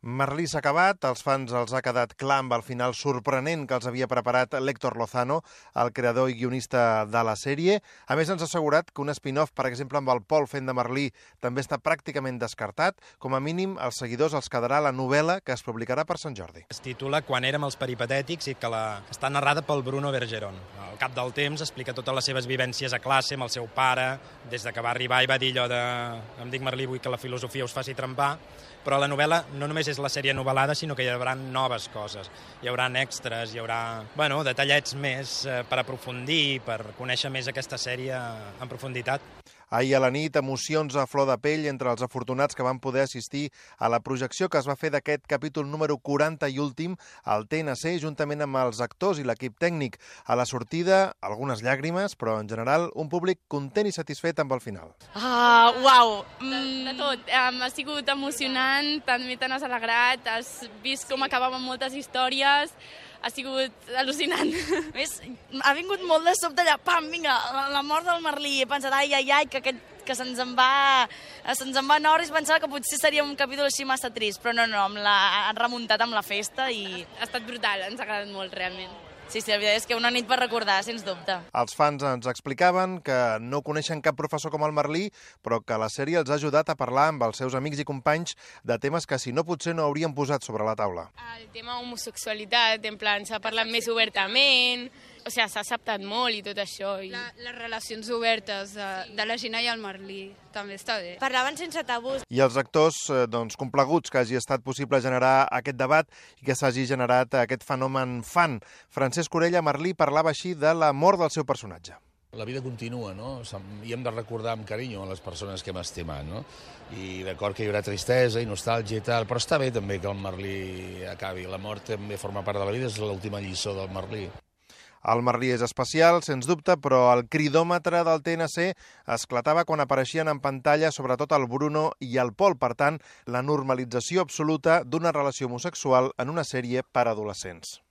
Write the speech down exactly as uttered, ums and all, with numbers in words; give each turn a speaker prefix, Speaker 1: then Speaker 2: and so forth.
Speaker 1: Merlí s'ha acabat, als fans els ha quedat clar amb el final sorprenent que els havia preparat l'Héctor Lozano, el creador i guionista de la sèrie. A més, ens ha assegurat que un spin-off, per exemple, amb el Pol fent de Merlí, també està pràcticament descartat. Com a mínim, als seguidors els quedarà la novel·la que es publicarà per Sant Jordi.
Speaker 2: Es titula Quan érem els peripatètics i que la... està narrada pel Bruno Bergeron. Al cap del temps explica totes les seves vivències a classe amb el seu pare, des de que va arribar i va dir allò de em dic Merlí, vull que la filosofia us faci trempar, però la novel·la no només és la sèrie novel·lada, sinó que hi haurà noves coses. Hi haurà extras, hi haurà bueno, detallets més eh, per aprofundir, per conèixer més aquesta sèrie en profunditat.
Speaker 1: Ahir a la nit, emocions a flor de pell entre els afortunats que van poder assistir a la projecció que es va fer d'aquest capítol número quaranta i últim al T N C, juntament amb els actors i l'equip tècnic. A la sortida, algunes llàgrimes, però en general un públic content i satisfet amb el final.
Speaker 3: Ah, uau!
Speaker 4: De, de tot. Um, ha sigut emocionant, també te n'has alegrat, has vist com acabaven moltes històries, ha sigut al·lucinant.
Speaker 3: A més, ha vingut molt de sobte allà, pam, vinga, la, la mort del Merlí. He pensat, ai, ai, ai, que, aquest, que se'ns en va se'ns en va en hores, pensava que potser seria un capítol així massa trist, però no, no, amb la, han remuntat amb la festa i...
Speaker 4: Ha estat brutal, ens ha agradat molt, realment.
Speaker 3: Sí, sí, la veritat és que una nit per recordar, sens dubte.
Speaker 1: Els fans ens explicaven que no coneixen cap professor com el Merlí, però que la sèrie els ha ajudat a parlar amb els seus amics i companys de temes que si no potser no haurien posat sobre la taula.
Speaker 5: El tema homosexualitat, en plan, s'ha parlat més obertament, o sigui, s'ha acceptat molt i tot això. I...
Speaker 6: La, les relacions obertes de, de la Gina i el Merlí també està bé.
Speaker 7: Parlaven sense tabús.
Speaker 1: I els actors, doncs, complaguts que hagi estat possible generar aquest debat i que s'hagi generat aquest fenomen fan. Francesc Orella, Merlí, parlava així de la mort del seu personatge.
Speaker 8: La vida continua, no? I hem de recordar amb carinyo a les persones que hem estimat, no? I d'acord que hi haurà tristesa i nostàlgia i tal, però està bé també que el Merlí acabi. La mort també forma part de la vida, és l'última lliçó del Merlí.
Speaker 1: El Merlí és especial, sens dubte, però el cridòmetre del T N C esclatava quan apareixien en pantalla sobretot el Bruno i el Pol. Per tant, la normalització absoluta d'una relació homosexual en una sèrie per adolescents.